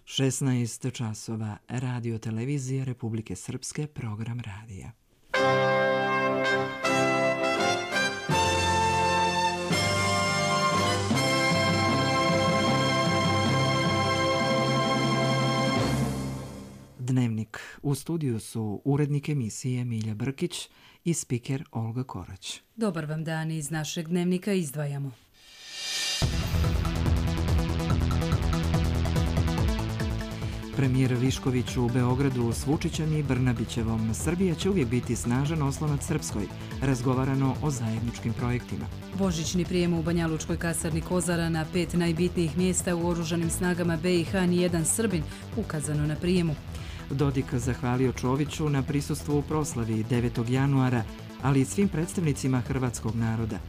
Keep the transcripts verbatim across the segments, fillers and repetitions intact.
šesnaest časova, Radio televizija Republike Srpske, program radija. Dnevnik. U studiju su urednik emisije Milja Brkić i spiker Olga Korać. Dobar vam dan, iz našeg dnevnika izdvajamo. Premijer Višković u Beogradu s Vučićem i Brnabićevom. Srbija će uvijek biti snažan oslonac Srpskoj. Razgovarano o zajedničkim projektima. Božićni prijem u Banja Lučkoj kasarni Kozara, na pet najbitnijih mjesta u oružanim snagama be i ha nijedan Srbin, ukazano na prijemu. Dodik zahvalio Čoviću na prisustvu u proslavi devetog januara, ali i svim predstavnicima hrvatskog naroda.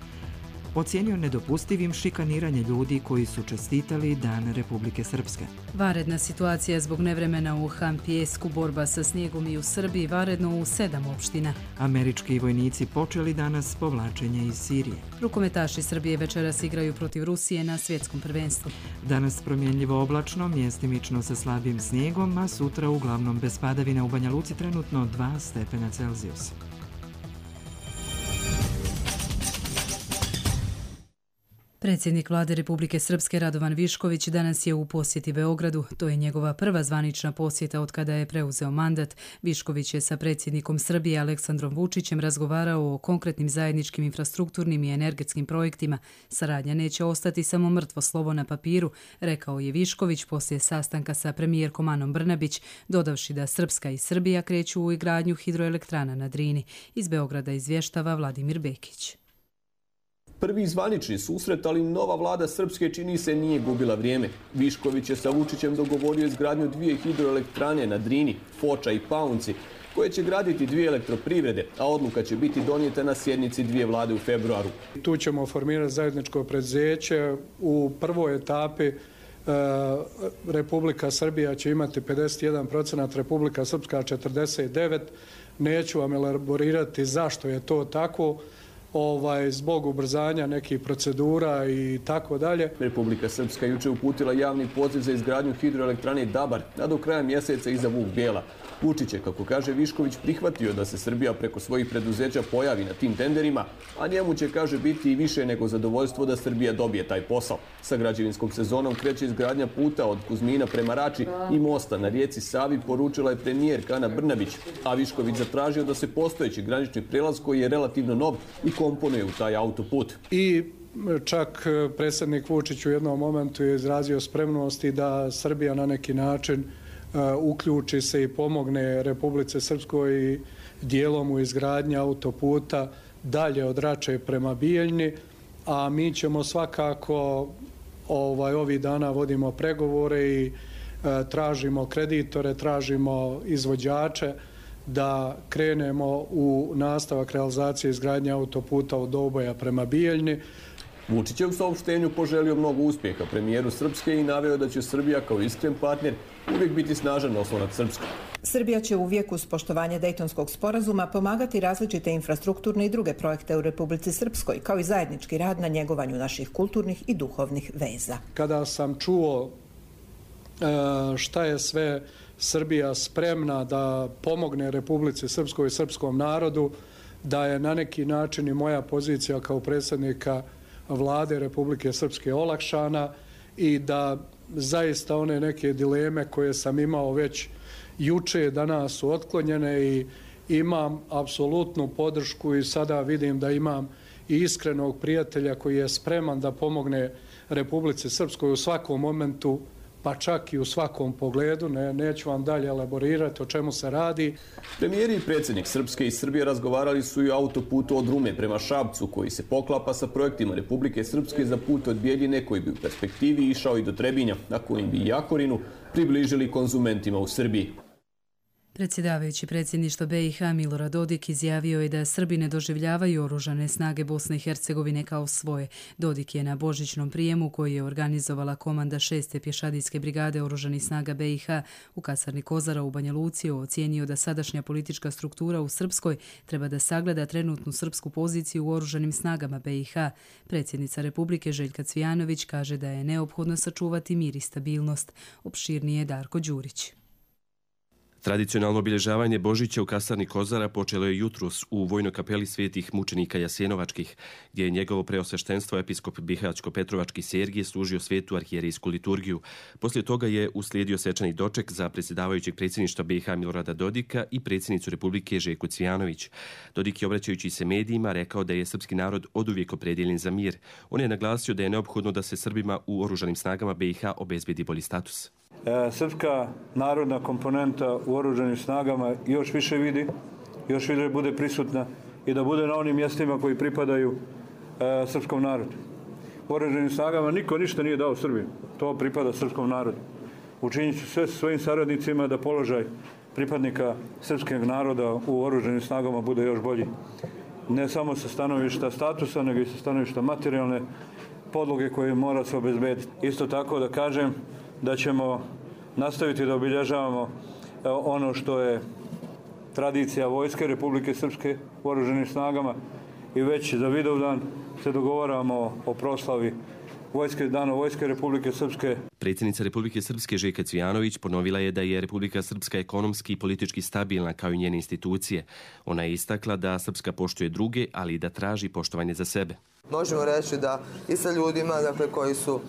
Ocijenio nedopustivim šikaniranje ljudi koji su čestitali Dan Republike Srpske. Vanredna situacija zbog nevremena u Hampijesku, borba sa snijegom i u Srbiji, vanredno u sedam opština. Američki vojnici počeli danas povlačenje iz Sirije. Rukometaši Srbije večeras igraju protiv Rusije na svjetskom prvenstvu. Danas promjenljivo oblačno, mjestimično sa slabim snijegom, a sutra uglavnom bez padavina, u Banja Luci trenutno dva stepena Celzijusa. Predsjednik Vlade Republike Srpske Radovan Višković danas je u posjeti Beogradu. To je njegova prva zvanična posjeta od kada je preuzeo mandat. Višković je sa predsjednikom Srbije Aleksandrom Vučićem razgovarao o konkretnim zajedničkim infrastrukturnim i energetskim projektima. Saradnja neće ostati samo mrtvo slovo na papiru, rekao je Višković poslije sastanka sa premijerkom Anom Brnabić, dodavši da Srpska i Srbija kreću u izgradnju hidroelektrana na Drini. Iz Beograda izvještava Vladimir Bekić. Prvi zvanični susret, ali nova vlada Srpske čini se nije gubila vrijeme. Višković je sa Vučićem dogovorio izgradnju dvije hidroelektrane na Drini, Foča i Paunci, koje će graditi dvije elektroprivrede, a odluka će biti donijeta na sjednici dvije vlade u februaru. Tu ćemo formirati zajedničko preduzeće. U prvoj etapi e, Republika Srbija će imati pedeset jedan posto, Republika Srpska četrdeset devet posto. Neću vam elaborirati zašto je to tako. Ovaj, zbog ubrzanja nekih procedura i tako dalje. Republika Srpska juče uputila javni poziv za izgradnju hidroelektrane Dabar, a do kraja mjeseca iza Vuk Bijela. Vučić je, kako kaže Višković, prihvatio da se Srbija preko svojih preduzeća pojavi na tim tenderima, a njemu će, kaže, biti i više nego zadovoljstvo da Srbija dobije taj posao. Sa građevinskom sezonom kreće izgradnja puta od Kuzmina prema Rači i mosta na rijeci Savi, poručila je premijerka Ana Brnabić, a Višković zatražio da se postojeći granični prelaz, koji je relativno nov, i komponuje u taj autoput. I čak predsjednik Vučić u jednom momentu je izrazio spremnosti da Srbija na neki način uključi se i pomogne Republice Srpskoj i dijelom u izgradnji autoputa dalje od Rače prema Bijeljni, a mi ćemo svakako ovaj, ovih dana vodimo pregovore i e, tražimo kreditore, tražimo izvođače da krenemo u nastavak realizacije izgradnje autoputa od Doboja prema Bijeljni. Vučić je u saopštenju poželio mnogo uspjeha premijeru Srpske i naveo da će Srbija kao iskren partner uvijek biti snažan oslonac Srpske. Srbija će uvijek uz poštovanje Dejtonskog sporazuma pomagati različite infrastrukturne i druge projekte u Republici Srpskoj, kao i zajednički rad na njegovanju naših kulturnih i duhovnih veza. Kada sam čuo šta je sve Srbija spremna da pomogne Republici Srpskoj i srpskom narodu, da je na neki način i moja pozicija kao predsjednika Vlade Republike Srpske olakšana i da zaista one neke dileme koje sam imao već juče danas su otklonjene i imam apsolutnu podršku i sada vidim da imam i iskrenog prijatelja koji je spreman da pomogne Republici Srpskoj u svakom momentu, pa čak i u svakom pogledu. Ne, neću vam dalje elaborirati o čemu se radi. Premijeri i predsjednik Srpske i Srbije razgovarali su i o autoputu od Rume prema Šapcu, koji se poklapa sa projektima Republike Srpske za put od Bijeljine, koji bi u perspektivi išao i do Trebinja, a kojim bi Jakorinu približili konzumentima u Srbiji. Predsjedavajući predsjedništva B i H Milorad Dodik izjavio je da Srbi ne doživljavaju oružane snage Bosne i Hercegovine kao svoje. Dodik je na božićnom prijemu koji je organizovala komanda šeste pješadijske brigade oružanih snaga B i H u kasarni Kozara u Banja Luci ocijenio da sadašnja politička struktura u Srpskoj treba da sagleda trenutnu srpsku poziciju u oružanim snagama B i H. Predsjednica Republike Željka Cvijanović kaže da je neophodno sačuvati mir i stabilnost. Opširnije Darko Đurić. Tradicionalno obilježavanje Božića u kasarni Kozara počelo je jutros u vojnoj kapeli svetih mučenika Jasenovačkih, gdje je njegovo preosveštenstvo episkop Bihaćko-Petrovački Sergije služio svetu arhijerejsku liturgiju. Poslije toga je uslijedio svečani doček za predsjedavajućeg predsjedništva B i H Milorada Dodika i predsjednicu Republike Željku Cvijanović. Dodik je, obraćajući se medijima, rekao da je srpski narod oduvijek opredjeljen za mir. On je naglasio da je neophodno da se Srbima u oružanim snagama B i H obezbedi bolji status. Srpska narodna komponenta u oružanim snagama još više vidi, još više bude prisutna i da bude na onim mjestima koji pripadaju e, srpskom narodu. U oružanim snagama niko ništa nije dao Srbiji, to pripada srpskom narodu. Učinit ću sve svojim saradnicima da položaj pripadnika srpskog naroda u oružanim snagama bude još bolji. Ne samo sa stanovišta statusa, nego i sa stanovišta materijalne podloge koje mora se obezbediti. Isto tako da kažem da ćemo nastaviti da obilježavamo ono što je tradicija Vojske Republike Srpske u oružanim snagama i već za Vidovdan se dogovaramo o proslavi Vojske, dana Vojske Republike Srpske. Predsjednica Republike Srpske Željka Cvijanović ponovila je da je Republika Srpska ekonomski i politički stabilna kao i njene institucije. Ona je istakla da Srpska poštuje druge, ali i da traži poštovanje za sebe. Možemo reći da i sa ljudima dakle, koji su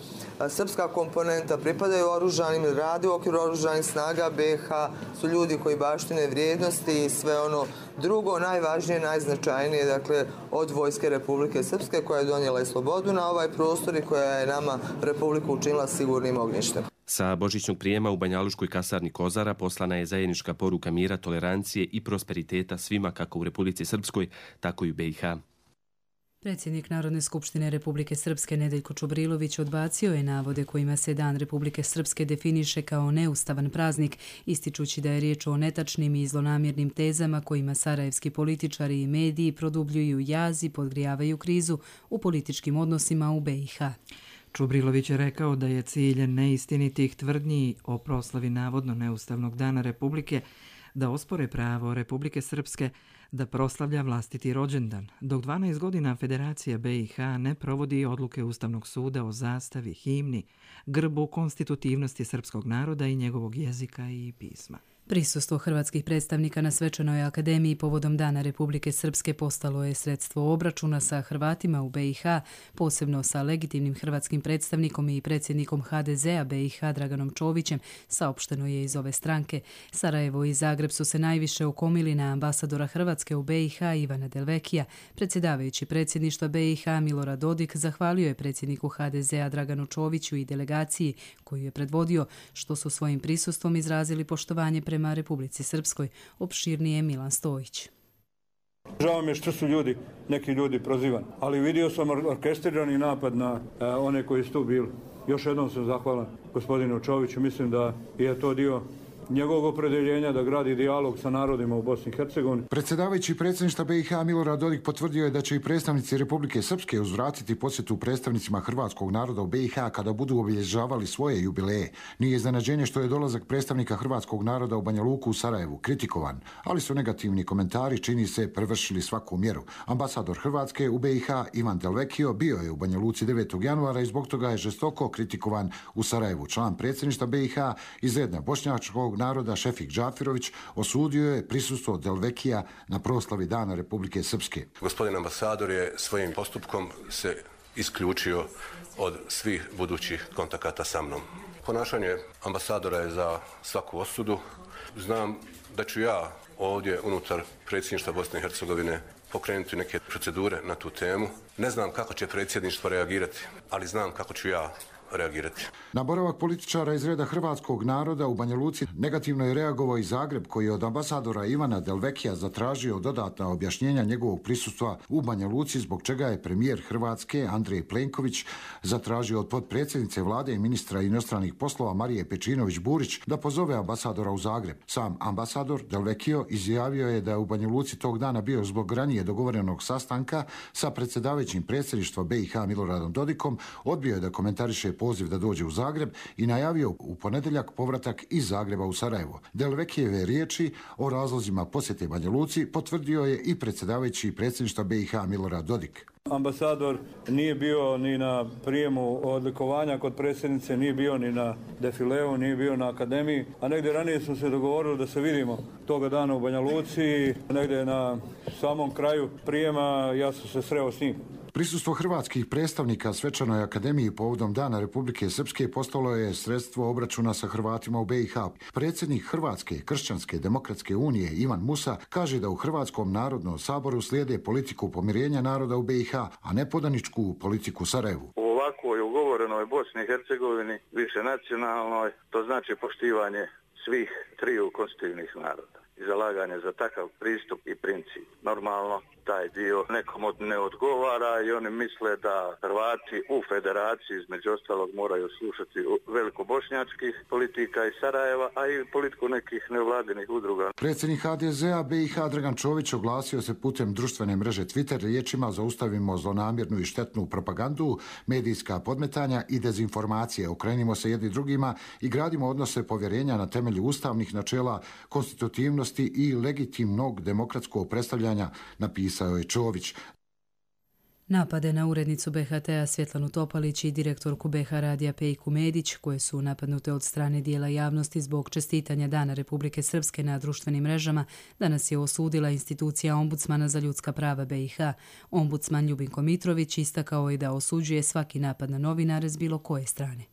srpska komponenta, pripadaju oružanim, rade u okviru oružanih snaga B i H, su ljudi koji baštine vrijednosti i sve ono drugo, najvažnije, najznačajnije, dakle, od Vojske Republike Srpske koja je donijela i slobodu na ovaj prostor i koja je nama Republiku učinila sigurnim ognjištem. Sa božićnog prijema u banjaluškoj kasarni Kozara poslana je zajednička poruka mira, tolerancije i prosperiteta svima kako u Republici Srpskoj, tako i u B i H. Predsjednik Narodne skupštine Republike Srpske Nedeljko Čobrilović odbacio je navode kojima se Dan Republike Srpske definiše kao neustavan praznik, ističući da je riječ o netačnim i zlonamjernim tezama kojima sarajevski političari i mediji produbljuju jaz i podgrijavaju krizu u političkim odnosima u B i H. Čubrilović je rekao da je cilj neistinitih tvrdnji o proslavi navodno neustavnog Dana Republike da ospore pravo Republike Srpske da proslavlja vlastiti rođendan, dok dvanaest godina Federacija B i H ne provodi odluke Ustavnog suda o zastavi, himni, grbu, konstitutivnosti srpskog naroda i njegovog jezika i pisma. Prisustvo hrvatskih predstavnika na Svečanoj akademiji povodom Dana Republike Srpske postalo je sredstvo obračuna sa Hrvatima u B i H, posebno sa legitimnim hrvatskim predstavnikom i predsjednikom H D Z-a B i H Draganom Čovićem, saopšteno je iz ove stranke. Sarajevo i Zagreb su se najviše okomili na ambasadora Hrvatske u B i H Ivana Delvekija. Predsjedavajući predsjedništva B i H Milorad Dodik zahvalio je predsjedniku H D Z-a Draganu Čoviću i delegaciji koju je predvodio, što su svojim prisustvom izrazili poštovanje prema prema Republici Srpskoj. Opširnije Milan Stojić. Žao mi je što su ljudi, neki ljudi prozivani, ali vidio sam orkestrirani napad na a, one koji su tu bili. Još jednom sam zahvalan gospodinu Čoviću, mislim da je to dio njegovog opredeljenja da gradi dijalog sa narodima u Bosni i Hercegovini. Predsjedavajući predsjedništva B i H Milorad Dodik potvrdio je da će i predstavnici Republike Srpske uzvratiti posjetu predstavnicima hrvatskog naroda u B i H kada budu obilježavali svoje jubileje. Nije iznenađenje što je dolazak predstavnika hrvatskog naroda u Banja Luku u Sarajevu kritikovan, ali su negativni komentari, čini se, prevršili svaku mjeru. Ambasador Hrvatske u B i H Ivan Delvekio bio je u Banja Luci devetog januara i zbog toga je žestoko kritikovan u Sarajevu. Član predsjedništva B i H iz reda bošnjačkog naroda Šefik Džafirović osudio je prisustvo Delvekija na proslavi Dana Republike Srpske. Gospodin ambasador je svojim postupkom se isključio od svih budućih kontakata sa mnom. Ponašanje ambasadora je za svaku osudu. Znam da ću ja ovdje unutar predsjedništva Bosne i Hercegovine pokrenuti neke procedure na tu temu. Ne znam kako će predsjedništvo reagirati, ali znam kako ću ja reagirati. Na boravak političara iz reda hrvatskog naroda u Banja Luci negativno je reagovao i Zagreb, koji je od ambasadora Ivana Delvekija zatražio dodatna objašnjenja njegovog prisustva u Banja Luci, zbog čega je premijer Hrvatske Andrej Plenković zatražio od potpredsjednice vlade i ministra inostranih poslova Marije Pečinović-Burić da pozove ambasadora u Zagreb. Sam ambasador Delvekio izjavio je da je u Banja Luci tog dana bio zbog ranije dogovorenog sastanka sa predsjedavajućim predsjedništva B i H Miloradom Dodikom, odbio je da komentariše poziv da dođe u Zagreb i najavio u ponedjeljak povratak iz Zagreba u Sarajevo. Delvekijeve riječi o razlozima posjete Banja Luci potvrdio je i predsjedavajući predsjedništva B i H Milorad Dodik. Ambasador nije bio ni na prijemu odlikovanja kod predsjednice, nije bio ni na defileu, nije bio na akademiji, a negdje ranije smo se dogovorili da se vidimo toga dana u Banja Luci, negdje na samom kraju prijema ja sam se sreo s njim. Prisustvo hrvatskih predstavnika Svečanoj akademiji povodom Dana Republike Srpske postalo je sredstvo obračuna sa Hrvatima u B i H. Predsjednik Hrvatske kršćanske demokratske unije Ivan Musa kaže da u Hrvatskom narodnom saboru slijede politiku pomirenja naroda u B i H, a ne podaničku politiku Sarajevu. U ovakvoj ugovorenoj Bosni i Hercegovini, više nacionalnoj, to znači poštivanje svih triju konstitutivnih naroda i zalaganje za takav pristup i princip. Normalno, taj dio nekom ne odgovara i oni misle da Hrvati u federaciji između ostalog moraju slušati velikobošnjačkih politika iz Sarajeva, a i politiku nekih nevladinih udruga. Predsjednik H D Z-a B i H Dragan Čović oglasio se putem društvene mreže Twitter riječima: zaustavimo zlonamjernu i štetnu propagandu, medijska podmetanja i dezinformacije, okrenimo se jedni drugima i gradimo odnose povjerenja na temelju ustavnih načela, konstitutivnosti i legitimnog demokratskog predstavljanja, napisao je Čović. Napade na urednicu B H T-a Svjetlanu Topalić i direktorku B H radija Pejku Medić, koje su napadnute od strane dijela javnosti zbog čestitanja Dana Republike Srpske na društvenim mrežama, danas je osudila institucija Ombudsmana za ljudska prava B i H. Ombudsman Ljubinko Mitrović istakao je da osuđuje svaki napad na novinare s bilo koje strane.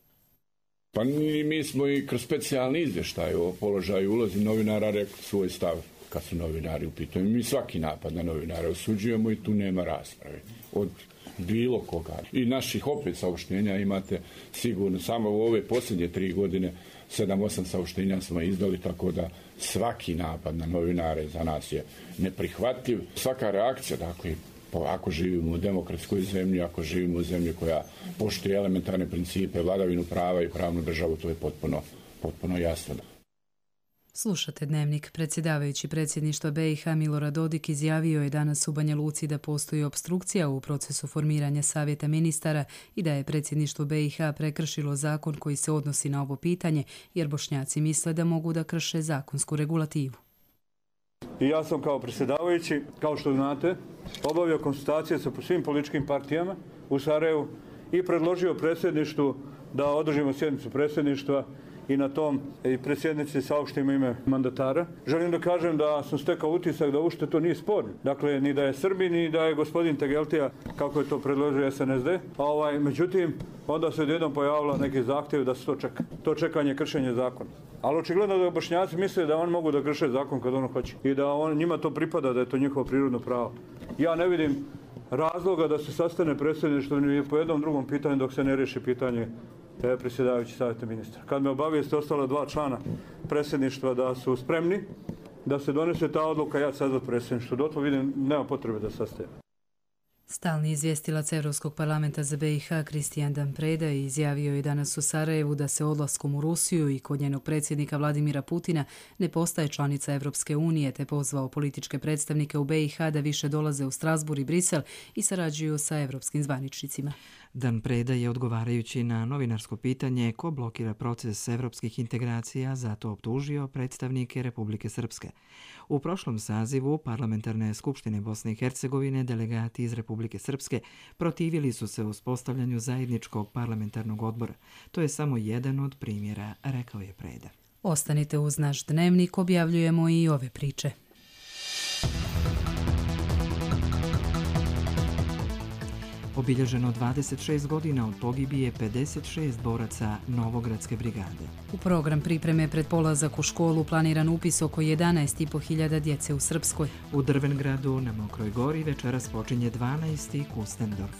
Pa mi smo i kroz specijalni izvještaj o položaju i ulozi novinara rekli svoj stav kad su novinari u pitanju. Mi svaki napad na novinare osuđujemo i tu nema rasprave od bilo koga. I naših opet saopštenja imate sigurno, samo u ove posljednje tri godine sedam osam saopštenja smo izdali, tako da svaki napad na novinare za nas je neprihvatljiv. Svaka reakcija, dakle, ako živimo u demokratskoj zemlji, ako živimo u zemlji koja poštuje elementarne principe, vladavinu prava i pravnu državu, to je potpuno, potpuno jasno. Slušate Dnevnik. Predsjedavajući predsjedništva B i H Milorad Dodik izjavio je danas u Banja Luci da postoji opstrukcija u procesu formiranja savjeta ministara i da je predsjedništvo B i H prekršilo zakon koji se odnosi na ovo pitanje, jer Bošnjaci misle da mogu da krše zakonsku regulativu. I ja sam kao predsjedavajući, kao što znate, obavio konsultacije sa svim političkim partijama u Sarajevu i predložio predsjedništvu da održimo sjednicu predsjedništva i na tom i predsjednici saopštimo ime mandatara. Želim da kažem da sam stekao utisak da uopšte to nije sporno. Dakle, ni da je Srbi, ni da je gospodin Tegeltija, kako je to predložio S N S D. A ovaj, međutim, onda se odjednom pojavilo neki zahtjev da se to čeka. To čekanje kršenje zakona. Ali očigledno da Bošnjaci misle da oni mogu da krše zakon kad ono hoće i da on, njima to pripada, da je to njihovo prirodno pravo. Ja ne vidim razloga da se sastane predsjedništvo ni po jednom drugom pitanju dok se ne riješi pitanje predsjedavajući savjeta ministra. Kad me obavijeste ostala dva člana predsjedništva da su spremni da se donese ta odluka, ja sazvat predsjedništvo. Dotle vidim, nema potrebe da sastaje. Stalni izvjestilac Europskog parlamenta za B i H Kristijan Dan Preda izjavio je danas u Sarajevu da se odlaskom u Rusiju i kod njenog predsjednika Vladimira Putina ne postaje članica Evropske unije, te pozvao političke predstavnike u B i H da više dolaze u Strasbourg i Brisel i sarađuju sa evropskim zvaničnicima. Dan Preda je, odgovarajući na novinarsko pitanje ko blokira proces evropskih integracija, zato optužio predstavnike Republike Srpske. U prošlom sazivu Parlamentarne skupštine Bosne i Hercegovine delegati iz Republike Srpske protivili su se uspostavljanju zajedničkog parlamentarnog odbora. To je samo jedan od primjera, rekao je Preda. Ostanite uz naš Dnevnik, objavljujemo i ove priče. Obilježeno dvadeset šest godina od pogibije pedeset šest boraca Novogradske brigade. U program pripreme pred polazak u školu planiran upis oko jedanaest i po hiljada djece u Srpskoj. U Drvengradu na Mokroj gori večeras počinje dvanaesti Kustendorf.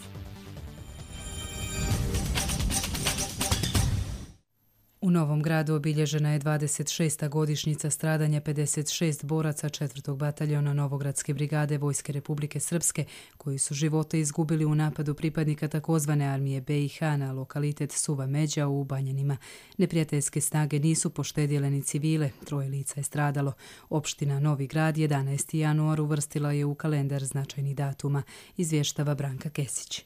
U Novom Gradu obilježena je dvadeset šesta godišnjica stradanja pedeset šest boraca četvrtog bataljona Novogradske brigade Vojske Republike Srpske, koji su živote izgubili u napadu pripadnika takozvane armije B i H na lokalitet Suva Međa u Banjanima. Neprijateljske snage nisu poštedjele ni civile, troje lica je stradalo. Opština Novi Grad jedanaesti januar uvrstila je u kalendar značajnih datuma, izvještava Branka Kesić.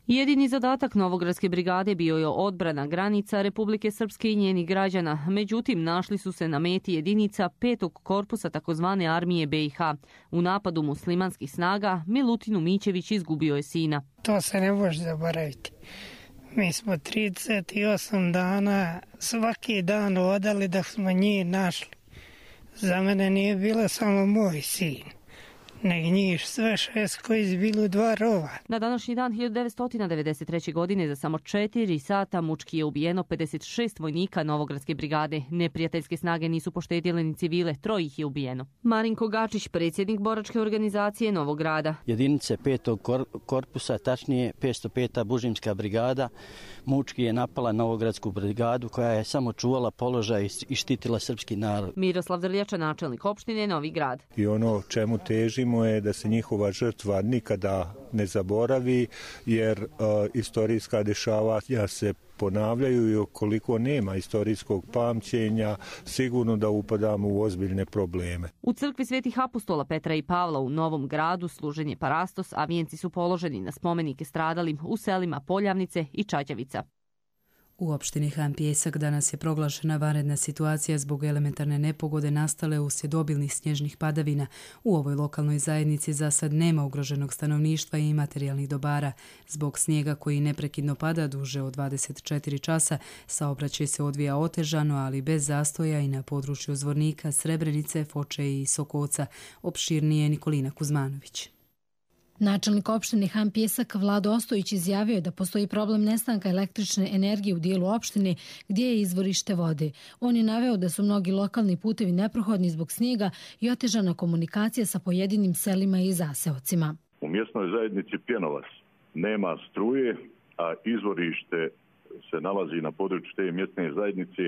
Jedini zadatak Novogradske brigade bio je odbrana granica Republike Srpske i njenih građana. Međutim, našli su se na meti jedinica petog korpusa takozvane armije B i H. U napadu muslimanskih snaga Milutinu Mićević izgubio je sina. To se ne može zaboraviti. Mi smo trideset osam dana svaki dan odali da smo njih našli. Za mene nije bilo samo moj sin, nego njih sve šest koji su bili u dva rova. Na današnji dan hiljadu devetsto devedeset treće. godine za samo četiri sata mučki je ubijeno pedeset šest vojnika Novogradske brigade. Neprijateljske snage nisu poštedjele ni civile, troje ih je ubijeno. Marinko Gačić, predsjednik boračke organizacije Novog Grada. Jedinice petog korpusa, tačnije petsto peta bužimska brigada, mučki je napala Novogradsku brigadu koja je samo čuvala položaj i štitila srpski narod. Miroslav Drljača, načelnik opštine Novi Grad. I ono čemu težimo je da se njihova žrtva nikada ne zaboravi, jer uh, istorijska dešavanja se ponavljaju i ukoliko nema istorijskog pamćenja, sigurno da upadamo u ozbiljne probleme. U crkvi Svetih apostola Petra i Pavla u Novom Gradu služen je parastos, a vijenci su položeni na spomenike stradalim u selima Poljavnice i Čađavica. U opštini Han Pijesak danas je proglašena vanredna situacija zbog elementarne nepogode nastale uslijed obilnih snježnih padavina. U ovoj lokalnoj zajednici za sad nema ugroženog stanovništva i materijalnih dobara. Zbog snijega koji neprekidno pada duže od dvadeset četiri časa, saobraćaj se odvija otežano, ali bez zastoja i na području Zvornika, Srebrenice, Foče i Sokoca. Opširnije Nikolina Kuzmanović. Načelnik opštine Han Pijesak Vlado Ostojić izjavio je da postoji problem nestanka električne energije u dijelu opštine gdje je izvorište vode. On je naveo da su mnogi lokalni putevi neprohodni zbog snijega i otežana komunikacija sa pojedinim selima i zaseocima. U mjesnoj zajednici Pjenovac nema struje, a izvorište se nalazi na području te mjesne zajednice,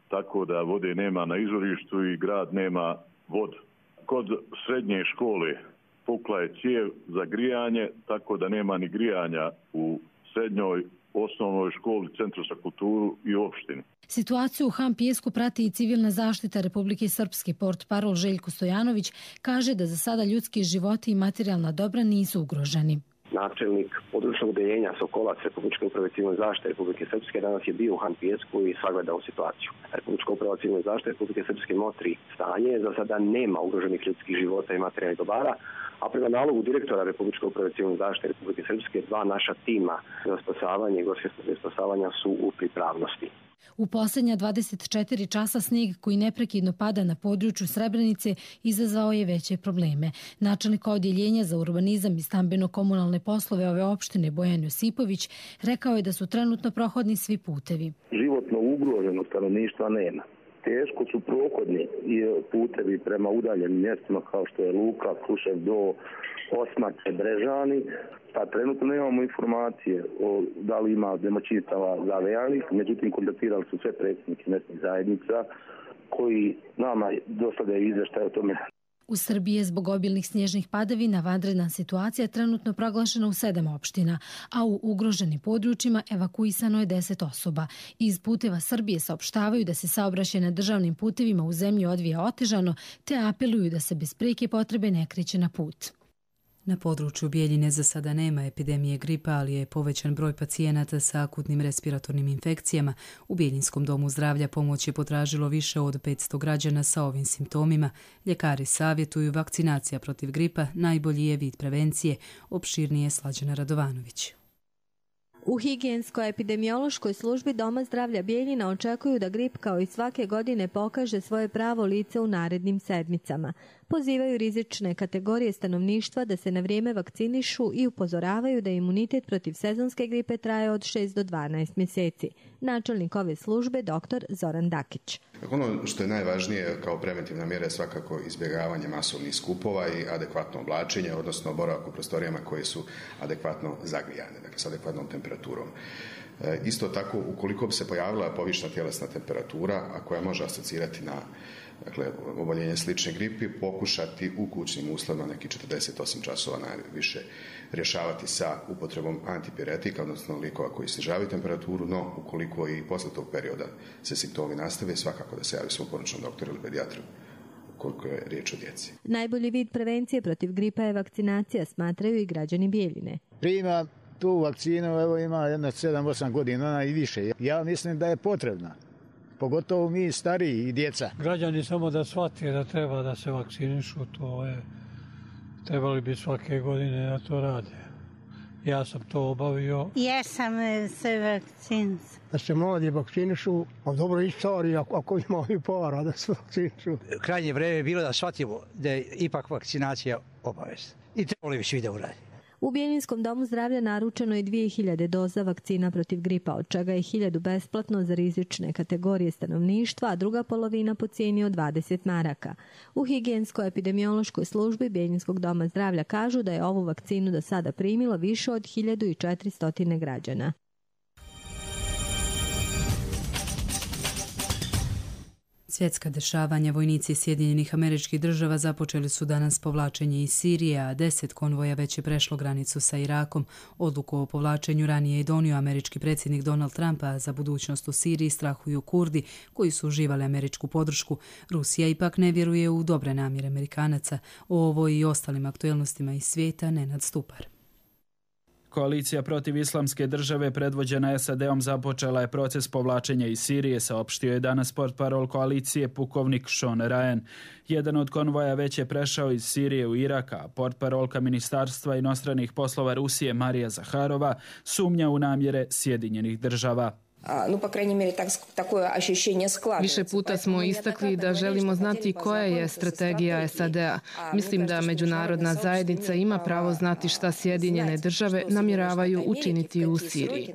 tako da vode nema na izvorištu i grad nema vodu. Kod srednje škole pukla je cijev za grijanje, tako da nema ni grijanja u srednjoj, osnovnoj školi, centru za kulturu i opštini. Situaciju u Han Pijesku prati i civilna zaštita Republike Srpske. Portparol Željko Stojanović kaže da za sada ljudski životi i materijalna dobra nisu ugroženi. Načelnik područnog odeljenja Sokolac Republičke uprave civilne zaštite Republike Srpske danas je bio u Han Pijesku i sagledao situaciju. Republička uprava civilne zaštite Republike Srpske motri stanje, za sada nema ugroženih ljudskih života i materijalnih dobara, a prema nalogu direktora Republičke uprave civilne zaštite Republike Srpske dva naša tima za spasavanje i gorske spasavanja su u pripravnosti. U posljednja dvadeset četiri časa snijeg koji neprekidno pada na području Srebrenice izazvao je veće probleme. Načelnik odjeljenja za urbanizam i stambeno-komunalne poslove ove opštine Bojan Josipović rekao je da su trenutno prohodni svi putevi. Životno ugroženog stanovništva nema. Teško su prohodni i putevi prema udaljenim mjestima kao što je Luka, Krušev do Osmače, Brežani. Pa trenutno nemamo informacije o da li ima domaćinstava zavejanih, međutim kontaktirali su sve predsjednike mjesnih zajednica koji nama dostavljaju izvještaj o tome. U Srbiji je zbog obilnih snježnih padavina vanredna situacija trenutno proglašena u sedam opština, a u ugroženim područjima evakuisano je deset osoba. Iz puteva Srbije saopštavaju da se saobraćaj na državnim putevima u zemlji odvija otežano, te apeluju da se bez prijeke potrebe ne kreće na put. Na području Bijeljine za sada nema epidemije gripa, ali je povećan broj pacijenata sa akutnim respiratornim infekcijama. U Bijeljinskom domu zdravlja pomoć je potražilo više od petsto građana sa ovim simptomima. Ljekari savjetuju vakcinacija protiv gripa, najbolji je vid prevencije, opširnije Slađana Radovanović. U higijensko-epidemiološkoj službi Doma zdravlja Bijeljina očekuju da grip kao i svake godine pokaže svoje pravo lice u narednim sedmicama. Pozivaju rizične kategorije stanovništva da se na vrijeme vakcinišu i upozoravaju da imunitet protiv sezonske gripe traje od šest do dvanaest mjeseci. Načelnik ove službe dr. Zoran Dakić. Ono što je najvažnije kao preventivna mjera je svakako izbjegavanje masovnih skupova i adekvatno oblačenje, odnosno boravak u prostorijama koje su adekvatno zagrijane, dakle s adekvatnom temperaturom. Isto tako, ukoliko bi se pojavila povišna tjelesna temperatura, a koja može asocirati na dakle, oboljenje slične gripi, pokušati u kućnim uslovima neki četrdeset osam časova najviše rješavati sa upotrebom antipiretika, odnosno lijekova koji snižavaju temperaturu, no ukoliko i posle tog perioda se simptomi nastave, svakako da se javi svom poručnom doktoru ili pedijatru koliko je riječ o djeci. Najbolji vid prevencije protiv gripa je vakcinacija, smatraju i građani Bjeljine. Prima tu vakcinu, evo ima jedna sedam osam godina i više. Ja mislim da je potrebna. Pogotovo mi stariji i djeca. Građani samo da shvate da treba da se vakcinišu, to je, trebali bi svake godine da to rade. Ja sam to obavio. Ja sam se vakciniš. Da se mladi vakcinišu, a dobro i stari, ako, ako imaju para da se vakcinišu. Krajnje vreme je bilo da shvatimo da je ipak vakcinacija obavezna. I trebali bi svi da uradi. U Bjeljinskom domu zdravlja naručeno je dvije hiljade doza vakcina protiv gripa, od čega je hiljadu besplatno za rizične kategorije stanovništva, a druga polovina po cijeni od dvadeset maraka. U higijensko-epidemiološkoj službi Bjeljinskog doma zdravlja kažu da je ovu vakcinu do sada primilo više od hiljadu četiristo građana. Svjetska dešavanja, vojnici Sjedinjenih Američkih Država započeli su danas povlačenje iz Sirije, a deset konvoja već je prešlo granicu sa Irakom. Odluku o povlačenju ranije je donio američki predsjednik Donald Trump, a za budućnost u Siriji strahuju Kurdi koji su uživali američku podršku. Rusija ipak ne vjeruje u dobre namjere Amerikanaca. O ovoj i ostalim aktuelnostima iz svijeta Nenad Stupar. Koalicija protiv islamske države predvođena S A D-om započela je proces povlačenja iz Sirije, saopštio je danas portparol koalicije pukovnik Sean Ryan. Jedan od konvoja već je prešao iz Sirije u Irak, a portparolka Ministarstva inostranih poslova Rusije Marija Zaharova sumnja u namjere Sjedinjenih država. Više puta smo istakli da želimo znati koja je strategija S A D-a. Mislim da međunarodna zajednica ima pravo znati šta Sjedinjene države namjeravaju učiniti u Siriji.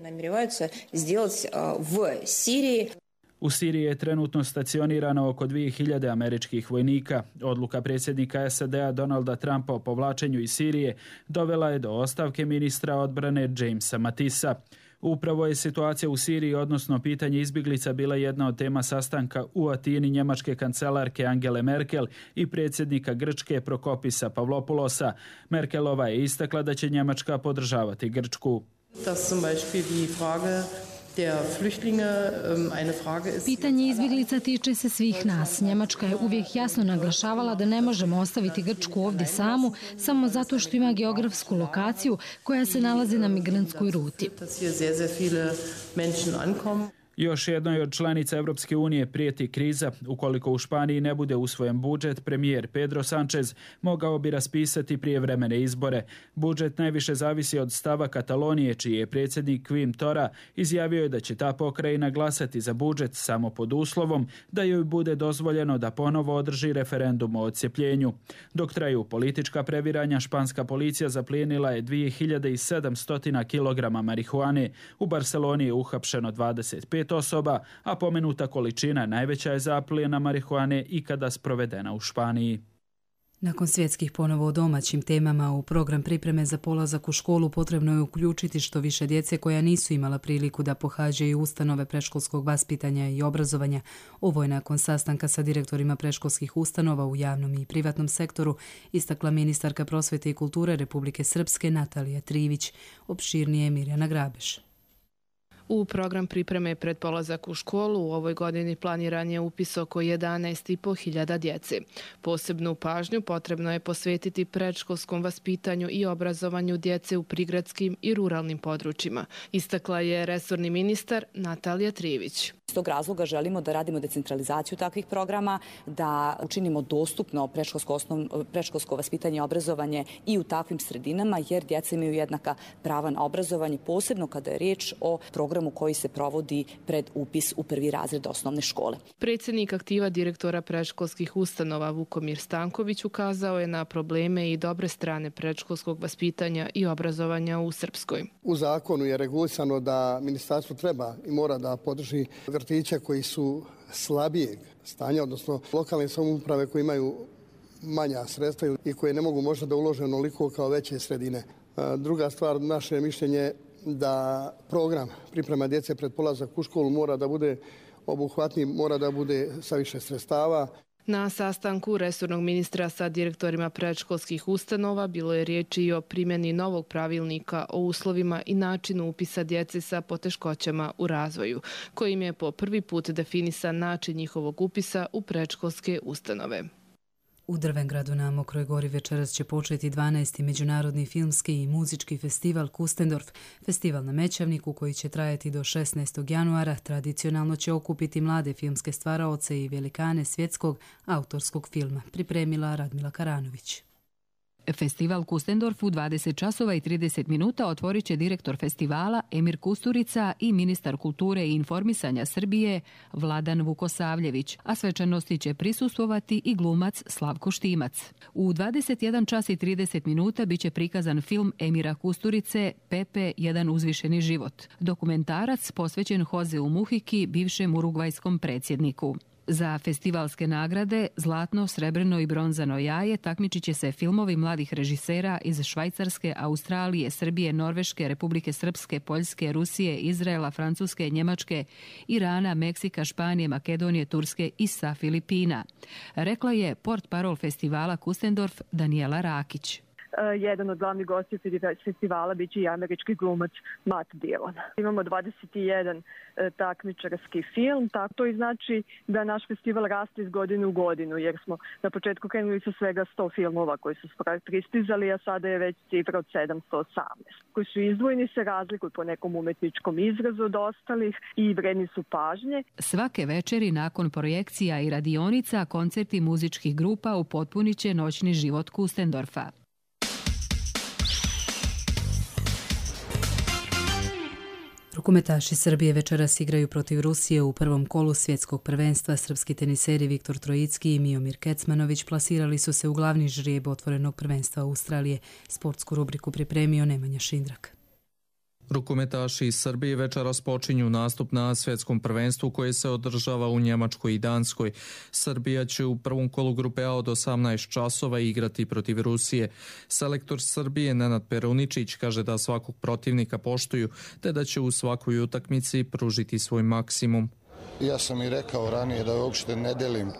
U Siriji je trenutno stacionirano oko dvije hiljade američkih vojnika. Odluka predsjednika S A D-a Donalda Trumpa o povlačenju iz Sirije dovela je do ostavke ministra odbrane Jamesa Matisa. Upravo je situacija u Siriji, odnosno pitanje izbjeglica, bila jedna od tema sastanka u Atini njemačke kancelarke Angele Merkel i predsjednika Grčke Prokopisa Pavlopulosa. Merkelova je istakla da će Njemačka podržavati Grčku. Pitanje izbjeglica tiče se svih nas. Njemačka je uvijek jasno naglašavala da ne možemo ostaviti Grčku ovdje samu, samo zato što ima geografsku lokaciju koja se nalazi na migrantskoj ruti. Još jednoj od članica Europske unije prijeti kriza. Ukoliko u Španiji ne bude usvojen budžet, premijer Pedro Sánchez mogao bi raspisati prijevremene izbore. Budžet najviše zavisi od stava Katalonije, čiji je predsjednik Quim Torra izjavio je da će ta pokrajina glasati za budžet samo pod uslovom da joj bude dozvoljeno da ponovo održi referendum o odcjepljenju. Dok traju politička previranja, španska policija zaplijenila je dvije hiljade sedamsto kilograma marihuane. U Barceloni je uhapšeno dvadeset pet osoba, a pomenuta količina najveća je zaplijena marihuane ikada sprovedena u Španiji. Nakon svjetskih ponovo o domaćim temama, u program pripreme za polazak u školu potrebno je uključiti što više djece koja nisu imala priliku da pohađaju ustanove predškolskog vaspitanja i obrazovanja. Ovo je nakon sastanka sa direktorima predškolskih ustanova u javnom i privatnom sektoru istakla ministarka prosvete i kulture Republike Srpske Natalija Trivić. Opširnije Mirjana Grabeš. U program pripreme pred polazak u školu u ovoj godini planiran je upis oko jedanaest i po hiljada djece. Posebnu pažnju potrebno je posvetiti predškolskom vaspitanju i obrazovanju djece u prigradskim i ruralnim područjima, istakla je resorni ministar Natalija Trivić. Iz tog razloga želimo da radimo decentralizaciju takvih programa, da učinimo dostupno predškolsko, osnovno, predškolsko vaspitanje i obrazovanje i u takvim sredinama, jer djeca imaju jednaka prava na obrazovanje, posebno kada je riječ o programu koji se provodi pred upis u prvi razred osnovne škole. Predsjednik aktiva direktora predškolskih ustanova Vukomir Stanković ukazao je na probleme i dobre strane predškolskog vaspitanja i obrazovanja u Srpskoj. U zakonu je regulisano da ministarstvo treba i mora da podrži vrtiće koji su slabijeg stanja, odnosno lokalne samouprave koje imaju manja sredstva i koje ne mogu možda da ulože onoliko kao veće sredine. Druga stvar, naše mišljenje da program priprema djece pred polazak u školu mora da bude obuhvatniji, mora da bude sa više sredstava. Na sastanku resornog ministra sa direktorima predškolskih ustanova bilo je riječi i o primjeni novog pravilnika o uslovima i načinu upisa djece sa poteškoćama u razvoju, kojim je po prvi put definisan način njihovog upisa u predškolske ustanove. U Drvengradu na Mokroj gori večeras će početi dvanaesti Međunarodni filmski i muzički festival Kustendorf. Festival na Mećavniku, koji će trajati do šesnaestog januara, tradicionalno će okupiti mlade filmske stvaraoce i velikane svjetskog autorskog filma, pripremila Radmila Karanović. Festival Kustendorf u dvadeset časova i trideset minuta otvorit će direktor festivala Emir Kusturica i ministar kulture i informisanja Srbije Vladan Vukosavljević, a svečanosti će prisustvovati i glumac Slavko Štimac. U dvadeset jedan čas i trideset minuta biće prikazan film Emira Kusturice Pepe, jedan uzvišeni život, dokumentarac posvećen Hozeu Muhiki, bivšem urugvajskom predsjedniku. Za festivalske nagrade Zlatno, srebrno i bronzano jaje takmičit će se filmovi mladih režisera iz Švajcarske, Australije, Srbije, Norveške, Republike Srpske, Poljske, Rusije, Izraela, Francuske, Njemačke, Irana, Meksika, Španije, Makedonije, Turske i sa Filipina. Rekla je portparol festivala Kustendorf Danijela Rakić. Jedan od glavnih gostiju festivala biće i američki glumac Matt Dillon. Imamo dvadeset jedan takmičarski film, tako to i znači da naš festival raste iz godine u godinu, jer smo na početku krenuli sa svega sto filmova koji su pristizali, a sada je već cifra od sedamsto osamnaest. Koji su izdvojeni, se razlikuju po nekom umetničkom izrazu od ostalih i vredni su pažnje. Svake večeri nakon projekcija i radionica, koncerti muzičkih grupa upotpunit će noćni život Kustendorfa. Rukometaši Srbije večeras igraju protiv Rusije u prvom kolu svjetskog prvenstva. Srpski teniseri Viktor Trojicki i Miomir Kecmanović plasirali su se u glavni žrijeb otvorenog prvenstva Australije. Sportsku rubriku pripremio Nemanja Šindrak. Rukometaši iz Srbije večeras počinju nastup na svjetskom prvenstvu koje se održava u Njemačkoj i Danskoj. Srbija će u prvom kolu grupe A od osamnaest časova igrati protiv Rusije. Selektor Srbije Nenad Peruničić kaže da svakog protivnika poštuju, te da će u svakoj utakmici pružiti svoj maksimum. Ja sam i rekao ranije da uopšte ne delim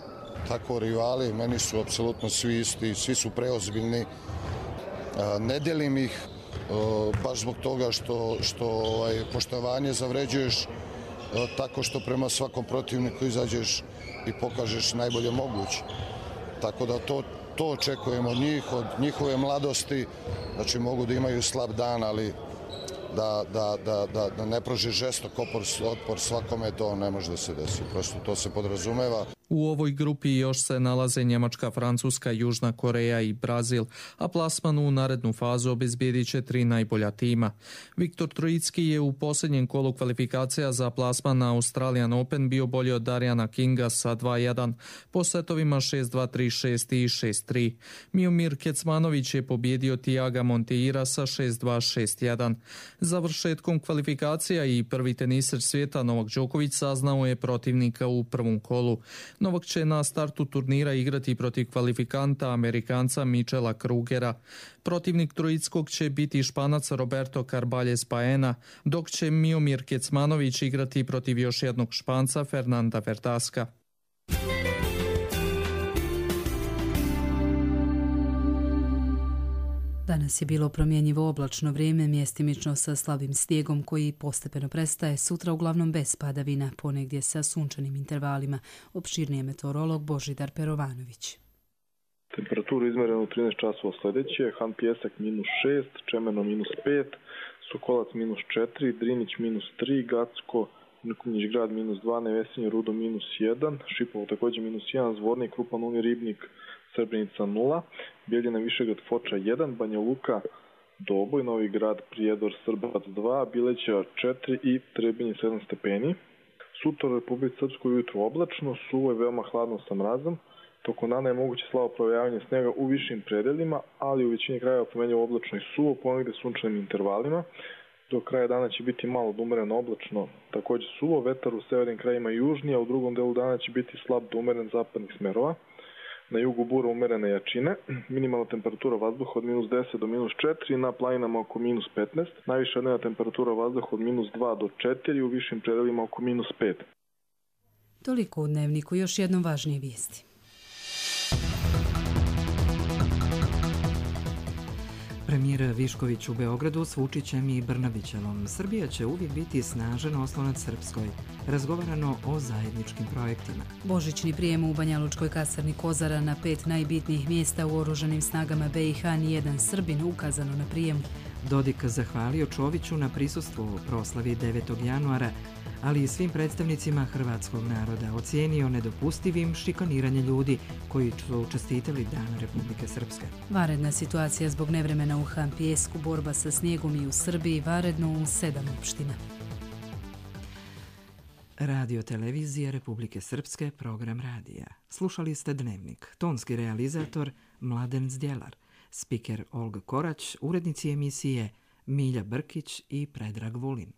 tako rivali, meni su apsolutno svi isti, svi su preozbiljni. Ne delim ih baš zbog toga što, što ovaj, poštovanje zavređuješ tako što prema svakom protivniku izađeš i pokažeš najbolje moguće. Tako da to, to očekujemo od njih, od njihove mladosti, znači mogu da imaju slab dan, ali da, da, da, da, da ne pruži žestok opor, otpor svakome, to ne može da se desi. Prosto to se podrazumeva. U ovoj grupi još se nalaze Njemačka, Francuska, Južna Koreja i Brazil, a plasman u narednu fazu obezbijedit će tri najbolja tima. Viktor Trojicki je u posljednjem kolu kvalifikacija za plasman na Australian Open bio bolji od Darijana Kinga sa dva jedan, po setovima šest dva, tri šest i šest tri. Miomir Kecmanović je pobjedio Tiaga Monteira sa šest dva, šest jedan. Završetkom kvalifikacija i prvi teniser svijeta Novak Đoković saznao je protivnika u prvom kolu. Novak će na startu turnira igrati protiv kvalifikanta Amerikanca Michela Krugera. Protivnik Trojickog će biti Španac Roberto Carballes Baena, dok će Miomir Kecmanović igrati protiv još jednog Španca Fernanda Verdaska. Danas je bilo promjenjivo oblačno vrijeme, mjestimično sa slabim snijegom koji postepeno prestaje, sutra uglavnom bez padavina, ponegdje sa sunčanim intervalima. Opširnije meteorolog Božidar Perovanović. Temperaturu izmereno u trinaest časova sljedeće: Han Pijesak minus šest, Čemerno minus pet, Sokolac minus četiri, Drinić minus tri, Gacko, Mrkonjić grad minus dva, Nevesinje Rudo minus jedan, Šipovo također minus jedan, Zvornik, Krupan, Uni, Ribnik, Srebrenica nula, Bijeljina, Višegrad, Foča jedan, Banja Luka, Doboj, Novi Grad, Prijedor, Srbac dva, Bileća četiri i Trebinje sedam stepeni. Sutra u Republici Srpskoj ujutro oblačno, suvo je veoma hladno sa mrazom. Tokom dana je moguće slabo provejavanje snega u višim predelima, ali u većini krajeva promenljivo oblačno i suvo, ponegde sunčanim intervalima. Do kraja dana će biti malo do umereno oblačno, također suvo, vetar u severnim krajima južniji, a u drugom delu dana će biti slab do umeren zapadnih smerova. na jugu bura umerene jačine, minimalna temperatura vazduha od minus deset do minus četiri, na planinama oko minus petnaest, najviša dnevna temperatura vazduha od minus dva do četiri, u višim predelima oko minus pet. Toliko u dnevniku, još jednom važnije vijesti. Premijer Višković u Beogradu s Vučićem i Brnabićevom. Srbija će uvijek biti snažan oslonac Srpskoj. Razgovarano o zajedničkim projektima. Božićni prijem u Banja Lučkoj kasarni Kozara na pet najbitnijih mjesta u oružanim snagama B i H, nijedan Srbin ukazano na prijemu. Dodik zahvalio Čoviću na prisustvu u proslavi devetog januara, ali i svim predstavnicima hrvatskog naroda. Ocijenio nedopustivim šikaniranje ljudi koji su čestitali Dan Republike Srpske. Vanredna situacija zbog nevremena u Han Pijesku, borba sa snijegom i u Srbiji, vanredno u sedam opština. Radio televizija Republike Srpske, program radija. Slušali ste Dnevnik. Tonski realizator Mladen Zdjelar. Spiker Olga Korać, urednici emisije Milja Brkić i Predrag Vulin.